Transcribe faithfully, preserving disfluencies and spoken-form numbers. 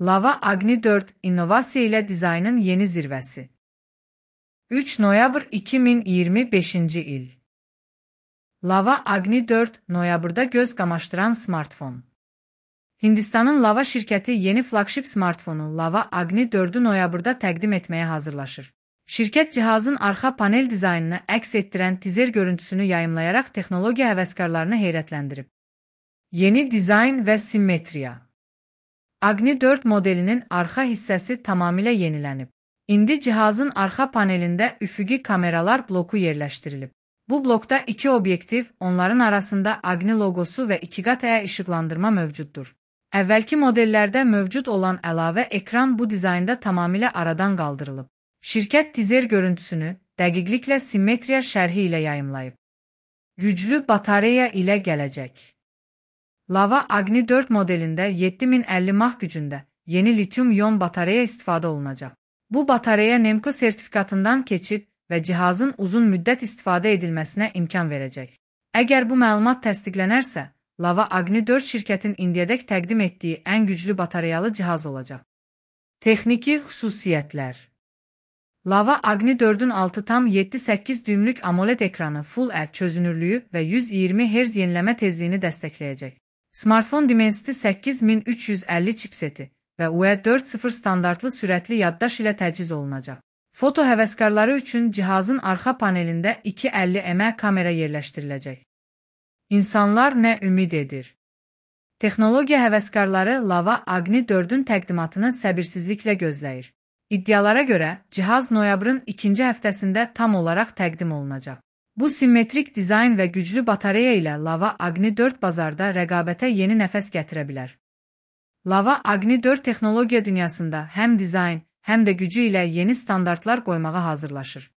Lava Agni dört, innovasiya ilə dizaynın yeni zirvəsi. üç noyabr iki min iyirmi beşinci il. Lava Agni dört, noyabrda göz qamaşdıran smartfon. Hindistanın Lava şirkəti yeni flagship smartfonu Lava Agni dördü noyabrda təqdim etməyə hazırlaşır. Şirkət cihazın arxa panel dizaynını əks etdirən tizer görüntüsünü yayımlayaraq texnologiya həvəskarlarını heyrətləndirib. Yeni dizayn və simmetriya. Agni dört modelinin arxa hissəsi tamamilə yenilənib. İndi cihazın arxa panelində üfüqi kameralar bloku yerləşdirilib. Bu blokda iki obyektiv, onların arasında Agni loqosu və ikiqat işıqlandırma mövcuddur. Əvvəlki modellərdə mövcud olan əlavə ekran bu dizaynda tamamilə aradan qaldırılıb. Şirkət tizer görüntüsünü dəqiqliklə simmetriya şərhi ilə yayımlayıb. Güclü batareya ilə gələcək. Lava Agni dört modelində yeddi min əlli mah gücündə yeni litium-ion batareya istifadə olunacaq. Bu batareya Nemco sertifikatından keçib və cihazın uzun müddət istifadə edilməsinə imkan verəcək. Əgər bu məlumat təsdiqlənərsə, Lava Agni dört şirkətin indiyədək təqdim etdiyi ən güclü batareyalı cihaz olacaq. Texniki xüsusiyyətlər. Lava Agni dördün altı tam yeddi səkkiz düymlük AMOLED ekranı Full H D çözünürlüyü və yüz iyirmi hertz yeniləmə tezliyini dəstəkləyəcək. Smartfon Dimensity səkkiz min üç yüz əlli çipseti və U E dörd nöqtə sıfır standartlı sürətli yaddaş ilə təchiz olunacaq. Foto həvəskarları üçün cihazın arxa panelində iki yüz əlli megapiksellik kamera yerləşdiriləcək. İnsanlar nə ümid edir? Texnologiya həvəskarları Lava Agni dördün təqdimatını səbirsizliklə gözləyir. İddialara görə, cihaz noyabrın ikinci həftəsində tam olaraq təqdim olunacaq. Bu simmetrik dizayn və güclü batareya ilə Lava Agni dörd bazarda rəqabətə yeni nəfəs gətirə bilər. Lava Agni dörd texnologiya dünyasında həm dizayn, həm də gücü ilə yeni standartlar qoymağa hazırlaşır.